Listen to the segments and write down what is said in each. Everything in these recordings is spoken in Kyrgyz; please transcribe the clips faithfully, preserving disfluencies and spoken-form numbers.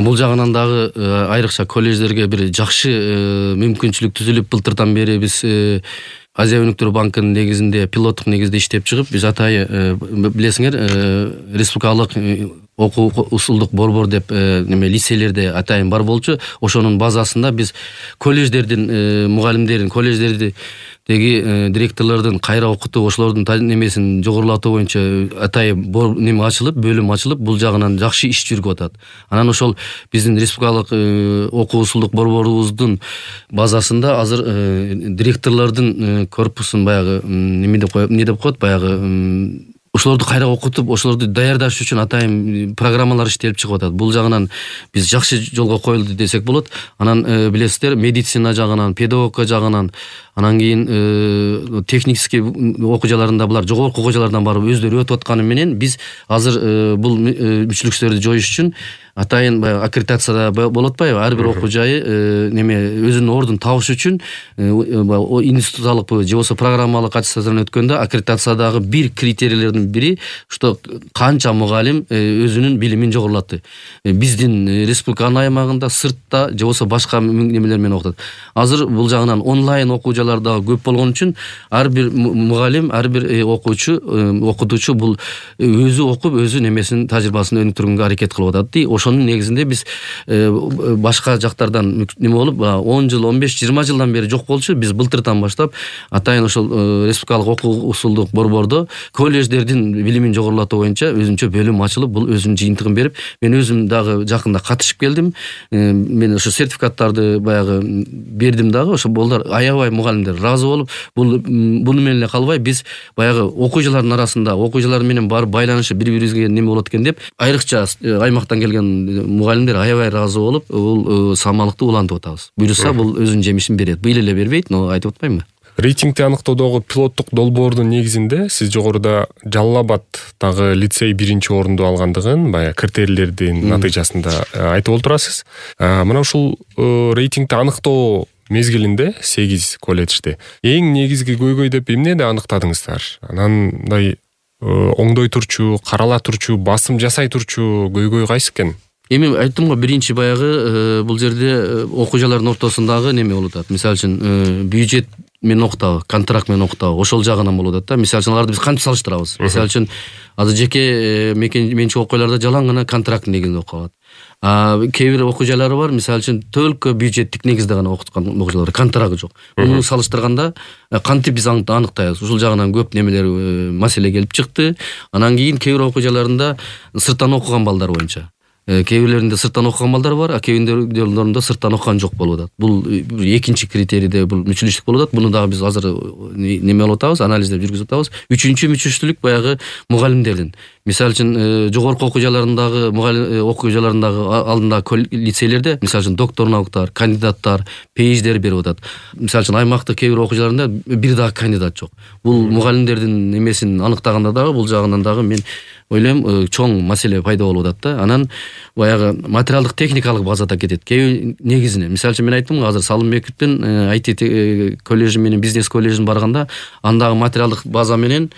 Бул жагынан дагы айрыкча колледждерге бир жакшы мүмкүнчүлүк түзүлүп, былтырдан бери биз Азия өнүктүрүү банкынын негизинде пилоттук негизде иштеп чыгып, биз атайы билесиңер, республикалык окуу усулдук борбор деп неме лицейлерде атайын бар болчу. Ошонун базасында биз колледждердин мугалимдерин, колледждерди деги директорлордун кайра окутуп, ошолордун немесин жогорулатуу боюнча атайын неме ачылып, бөлүм ачылып, бул жагынан жакшы иш жүрүп атат. Анан ошол биздин республикалык окуу усулдук борборубуздун базасында азыр директорлордун корпусун баягы неме деп коет, эмне деп коет, баягы ошолорду кайра окутуп, ошолорду даярдаш үчүн атайын программалар иштелип чыгып атат. Бул жагынан биз жакшы жолго коюлду десек болот. Анан билесиздер, медицина жагынан, педагогика жагынан, анан кийин техникский окуу жайларында булар жогорку окуу жайлардан барып өздөрү өтүп атканы менен биз азыр бул мүчүлүктөрдү жоюш үчүн атайын баягы аккредитацияда болот атпайбы, ар бир окуу жайы неме өзүнүн ордун табыш үчүн институталык же болбосо программалык аттестациядан өткөндө аккредитациядагы бир критерийлердин бири что канча мугалим өзүнүн билимин жогорулатты. Биздин республиканын аймагында, сыртта же болбосо башка немелер менен окутат. Азыр бул жагынан онлайн окуу жайлар дагы көп болгон үчүн ар бир мугалим, ар бир окуучу, окутуучу бул өзү окуп, өзү немесин тажрыйбасын өнүктүргөнгө аракет кылып атат. Ошонун негизинде биз башка жактардан неме болуп он жыл, он беш, жыйырма жылдан бери жок болчу. Биз былтырдан баштап атайын ошол республикалык окуу усулдук борбордо колледждердин билимин жогорулатуу боюнча өзүнчө бөлүм ачылып, бул өзүнүн жыйынтыгын берип, мен өзүм дагы жакында катышып келдим. Мен ошо сертификаттарды баягы бердим дагы. Ошо болдар аябай мугалимдер ыраазы болуп, бул буну менен эле калбай, биз баягы окуу жайлардын арасында окуу жайлар менен барып байланышы бири-бирибизге неме болот экен деп, айрыкча аймактан келген мугалимдер аябай ыраазы болуп, бул самалыкты улантып атабыз. Буюрса бул өзүнүн жемишин берет. Быйыл эле бербейт, но айтып атпаймынбы? Рейтингти аныктоодогу пилоттук долбоордун негизинде сиз жогоруда Жалал Абаддагы лицей биринчи орунду алгандыгын, баягы критерийлердин натыйжасында айтып олтурасыз. Мына ушул рейтингти аныктоо мезгилинде сегиз колледжде эң негизги көйгөй деп эмнени аныктадыңыздар? Анан мындай оңдой турчу, карала турчу, басым жасай турчу көйгөй кайсы экен? Эми айттым го, биринчи баягы бул жерде окуу жайлардын ортосундагы неме болуп атат. Мисалы үчүн бюджет менен окутабы, контракт менен окутабы, ошол жагынан болуп атат да. Мисалы үчүн аларды биз кантип салыштырабыз? Мисалы үчүн азыр жеке менчик окуу жайларда жалаң гана контракт негизинде окуп атат. А кээ бир окуу жайлары бар, мисалы үчүн только бюджеттик негизде гана окуткан окуу жайлар, контракты жок. Муну салыштырганда кантип биз аныктайбыз? Ушул жагынан көп немелер маселе келип чыкты. Анан кийин кээ бир окуу жайларында сырттан окуган балдар боюнча. Кээ бирлеринде сырттан окуган балдар бар, а кээ бирлеринде сырттан окуган жок болуп атат. Бул экинчи критерийде бул мүчүлүштүк болуп атат. Буну дагы биз азыр неме болуп атабыз, анализдеп жүргүзүп атабыз. Үчүнчү мүчүлүштүк баягы мугалимдердин. Мисалы үчүн жогорку окуу жайларындагы мугалим окуу жайларындагы алдындагы лицейлерде мисалы үчүн доктор науктар, кандидаттар, пейидждер берип атат. Мисалы үчүн аймактык кээ бир окуу жайларында бир дагы кандидат жок. Бул мугалимдердин немесин аныктаганда дагы бул жагынан дагы мен ойлойм чоң маселе пайда болуп атат да. Анан баягы материалдык техникалык базада кетет. Кээ негизинен мисалы үчүн мен айттым го, азыр Салымбековдун ай ти коллежи менен бизнес коллежин барганда андагы материалдык база менен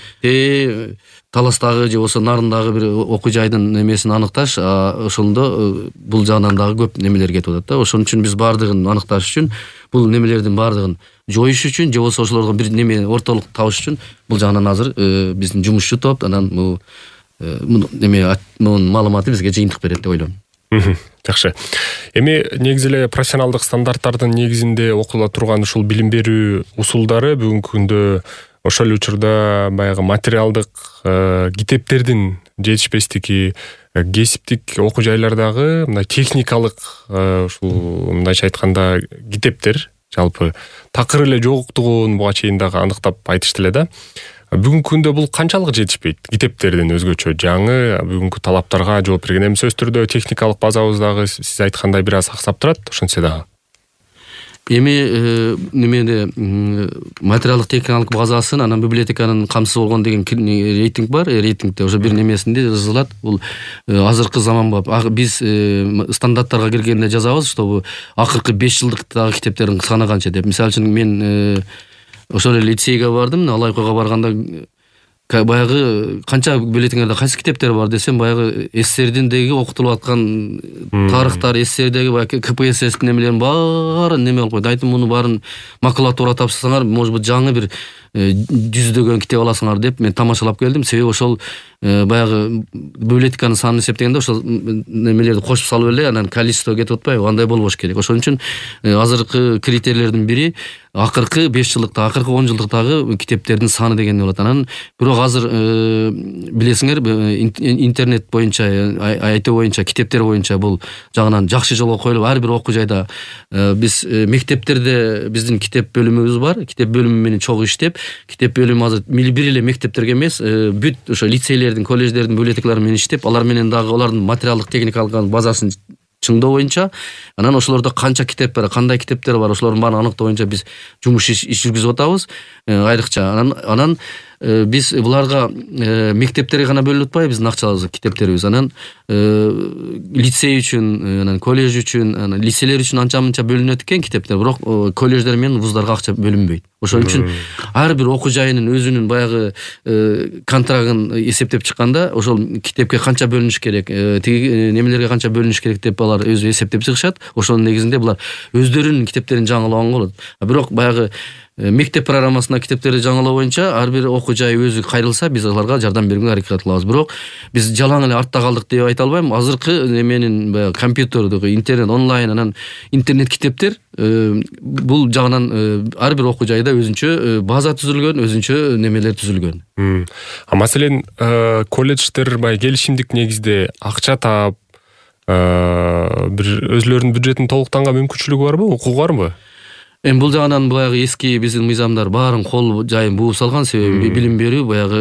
Таластагы же болбосо Нарындагы бир окуу жайдын немесин аныкташ, ошондо бул жагынан дагы көп немелер кетип атат да. Ошон үчүн биз баардыгын аныкташ үчүн, бул немелердин баардыгын жоюш үчүн же болбосо ошолорго бир неме ортолук табыш үчүн бул жагынан азыр биздин жумушчу топ анан бул неме мунун маалыматы бизге жыйынтык берет деп ойлойм. Жакшы. Эми негизи эле профессионалдык стандарттардын негизинде окула турган ушул билим берүү усулдары бүгүнкү күндө ошол учурда баягы материалдык китептердин жетишпестиги, кесиптик окуу жайлардагы мындай техникалык ушул мындайча айтканда китептер жалпы такыр эле жоктугун буга чейин дагы аныктап айтышты эле да. Бүгүнкү күндө бул канчалык жетишпейт? Китептердин өзгөчө жаңы бүгүнкү талаптарга жооп берген. Эми сөзсүз түрдө техникалык базабыз дагы сиз айткандай бир аз аксап турат, ошентсе дагы. Эми немеде материалдык техникалык базасын анан библиотеканын камсыз болгон деген рейтинг бар. Рейтингде ошо бир немесинде жазылат. Бул азыркы заманба биз стандарттарга киргенде жазабыз, что акыркы беш жылдыктагы китептердин саны канча деп. Мисалы үчүн мен ошол эле лицейге бардым, Алайкога барганда баягы канча билетиңерде кайсы китептер бар десем, баягы СССРдиндеги окутулуп аткан тарыхтар, СССРдеги баягы КПССтин немелерин баарын неме кылып койду. Айтым муну баарын макулатура тапсырсаңар, может быть жаңы бир жүздөгөн китеп аласыңар деп мен тамашалап келдим. Себеби ошол баягы библиотеканын санын эсептегенде ошол немелерди кошуп салып эле анан количество кетип атпайбы, андай болбош керек. Ошон үчүн азыркы критерийлердин бири акыркы беш жылдыкта, акыркы он жылдыктагы китептердин саны деген болот. Анан бирок азыр билесиңер, интернет боюнча, ай ти боюнча, китептер боюнча бул жагынан жакшы жолго коюлуп, ар бир окуу жайда биз мектептерде биздин китеп бөлүмүбүз бар. Китеп бөлүмү менен чогуу иштеп, китеп бөлүмү азыр бир эле мектептерге эмес, бүт ошо лицейлердин, колледждердин библиотекалары менен иштеп, алар менен дагы алардын материалдык техникалык базасын чыңдоо боюнча, анан ошолордо канча китеп бар, кандай китептер бар, ошолордун баарын аныктоо боюнча биз жумуш иш жүргүзүп атабыз айрыкча. Анан анан биз буларга мектептерге гана бөлүнүп атпайбы биздин акчаларыбыз, китептерибиз. Анан лицей үчүн, анан колледж үчүн, анан лицейлер үчүн анча-мынча бөлүнөт экен китептер, бирок колледждер менен вуздарга акча бөлүнбөйт. Ошон үчүн ар бир окуу жайынын өзүнүн баягы контрагын эсептеп чыкканда, ошол китепке канча бөлүнүш керек, тиги немелерге канча бөлүнүш керек деп алар өзү эсептеп чыгышат. Ошонун негизинде булар өздөрүнүн китептерин жаңылаганга болот. Бирок баягы мектеп программасына китептерди жаңылоо боюнча ар бир окуу жай өзү кайрылса, биз аларга жардам берүүгө аракет кылабыз. Бирок биз жалаң эле артта калдык деп айта албайм. Азыркы неменин баягы компьютердик, интернет, онлайн, анан интернет китептер бул жагынан ар бир окуу жайда өзүнчө база түзүлгөн, өзүнчө немелер түзүлгөн. А маселен, колледждер баягы келишимдик негизде акча таап, бир өзлөрүнүн бюджетин толуктанга мүмкүнчүлүгү барбы, укугу барбы? Эми бул жагынан баягы эски биздин мыйзамдар баарын кол жайын бууп салган, себеби билим берүү баягы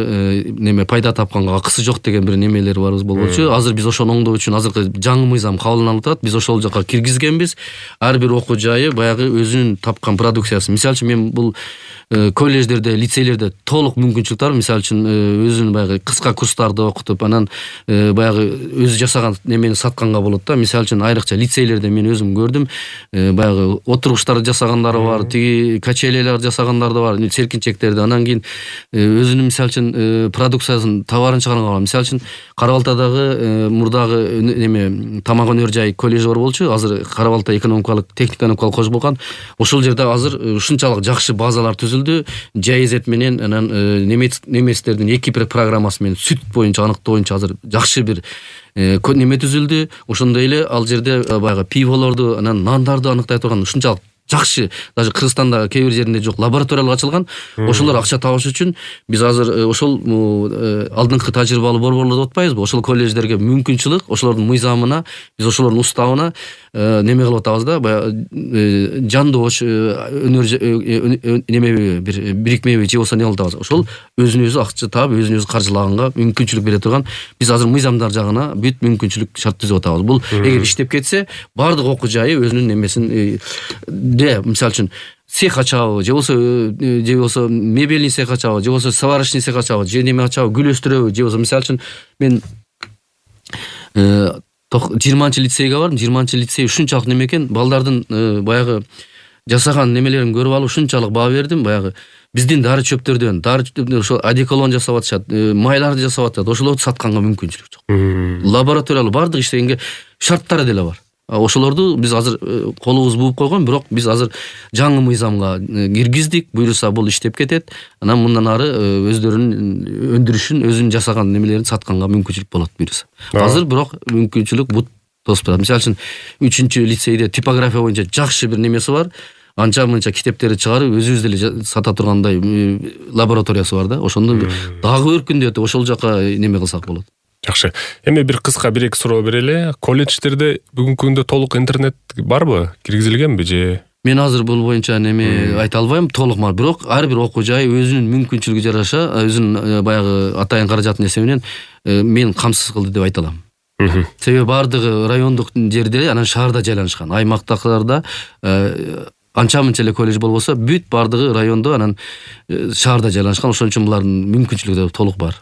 неме пайда тапканга акысы жок деген бир немелер бар болчу. Азыр биз ошону оңдоо үчүн азыркы жаңы мыйзам кабылданып атат. Биз ошол жака киргизгенбиз. Ар бир окуу жайы баягы өзүнүн тапкан продукциясы. Мисалы үчүн мен бул колледждерде, лицейлерде толук мүмкүнчүлүк бар. Мисалы үчүн өзүнүн баягы кыска курстарды окутуп, анан баягы өзү жасаган немени сатканга болот да. Мисалы үчүн айрыкча лицейлерде мен өзүм көрдүм, баягы отургучтарды жасагандары бар, тиги качелелер жасагандар да бар, серкинчектерди. Анан кийин өзүнүн мисалы үчүн продукциясын, товарын чыгарганга бар. Мисалы үчүн Кара Балтадагы мурдагы неме тамак өнөр жай колледж бар болчу. Азыр Кара Балта экономикалык, техник-экономикалык колледж болгон. Ошол жерде азыр ушунчалык жакшы базалар түзүлдү. Жайзет менен анан немецтердин эки программасы менен сүт боюнча, аныктоо боюнча азыр жакшы бир неме түзүлдү. Ошондой эле ал жерде баягы пиволорду, анан нандарды аныктай турган ушунчалык жакшы, даже Кыргызстанда кээ бир жеринде жок лабораториялар ачылган. Ошолор акча табыш үчүн биз азыр ошол алдыңкы тажрыйбалуу борборлор деп атпайбызбы? Ошол колледждерге мүмкүнчүлүк, ошолордун мыйзамына, биз ошолордун уставына неме кылып атабыз да, баягы жандоош өнөр неме бир бирикмеби же болсо не кылып атабыз. Ошол өзүнө өзү акча таап, өзүнө өзү каржылаганга мүмкүнчүлүк бере турган, биз азыр мыйзамдар жагына бүт мүмкүнчүлүк шарт түзүп атабыз. Бул эгер иштеп кетсе, бардык окуу жайы өзүнүн немесин де, мисалы үчүн цех ачабы, же болсо же болсо мебельный цех ачабы, же болсо сварочный цех ачабы, же неме ачабы, гүл өстүрөбү, же болсо мисалы үчүн мен жыйырманчы лицейге бардым. жыйырманчы лицей ушунчалык неме экен, балдардын баягы жасаган немелерин көрүп алып ушунчалык баа бердим. Баягы биздин дары чөптөрдөн, дары чөптөрдөн ошо одеколон жасап атышат, майларды жасап атат. Ошолорду сатканга мүмкүнчүлүк жок. Лабораториялуу бардык иштегенге шарттары деле бар. Ошолорду биз азыр колубуз бууп койгон, бирок биз азыр жаңы мыйзамга киргиздик. Буюрса бул иштеп кетет. Анан мындан ары өздөрүнүн өндүрүшүн, өзүнүн жасаган немелерин сатканга мүмкүнчүлүк болот буюрса. Азыр бирок мүмкүнчүлүк бут тосуп турат. Мисалы үчүн үчүнчү лицейде типография боюнча жакшы бир немеси бар. Анча-мынча китептерди чыгарып, өзүбүз деле сата тургандай лабораториясы бар да. Ошондо дагы өркүндөтүп ошол жака неме кылсак болот. Жакшы. Эми бир кыска бир эки суроо берели. Колледждерде бүгүнкү күндө толук интернет барбы? Киргизилгенби же? Мен азыр бул боюнча неме айта албайм, толук бар. Бирок ар бир окуу жай өзүнүн мүмкүнчүлүгү жараша, өзүнүн баягы атайын каражатын эсебинен мен камсыз кылды деп айта алам. Себеби бардыгы райондук жерде, анан шаарда жайланышкан. Аймактагыларда анча-мынча эле колледж болбосо, бүт бардыгы райондо, анан шаарда жайланышкан. Ошон үчүн булардын мүмкүнчүлүгү толук бар.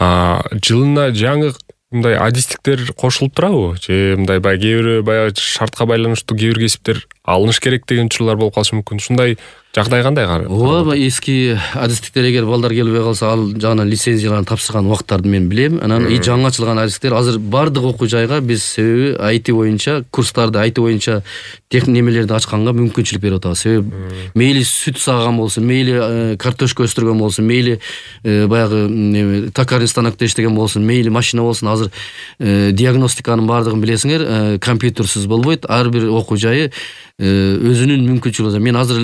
А жылына жаңы мындай адистиктер кошулуп турабы? Же мындай баягы кээ бир баягы шартка байланыштуу кээ бир кесиптер алыныш керек деген учурлар болуп калышы мүмкүн. Ушундай жагдай кандай? Ооба, эски адистиктер эгер балдар келбей калса, ал жагынан лицензияларын тапшырган убактарды мен билем. Анан и жаңы ачылган адистиктер азыр бардык окуу жайга биз себеби ай ти боюнча курстарды ай ти боюнча немелерди ачканга мүмкүнчүлүк берип атабыз. Себеби мейли сүт саган болсун, мейли картошка өстүргөн болсун, мейли баягы токарный станокто иштеген болсун, мейли машина болсун, азыр диагностиканын бардыгын билесиңер, компьютерсиз болбойт. Ар бир окуу жайы өзүнүн мүмкүнчүлүгү. Мен азыр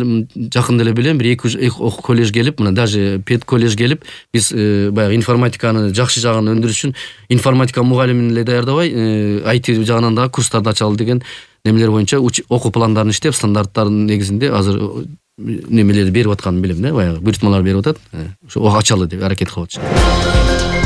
жакында эле билем, бир эки окуу коллеж келип, мына даже пед коллеж келип, биз баягы информатиканы жакшы жагын өндүрүш үчүн информатика мугалимин эле даярдабай, ай ти жагынан дагы курстарды ачалы деген немелер боюнча окуу пландарын иштеп, стандарттардын негизинде азыр немелерди берип атканын билем да, баягы буйртмалар берип атат. Ошо ачалы деп аракет кылып атышат.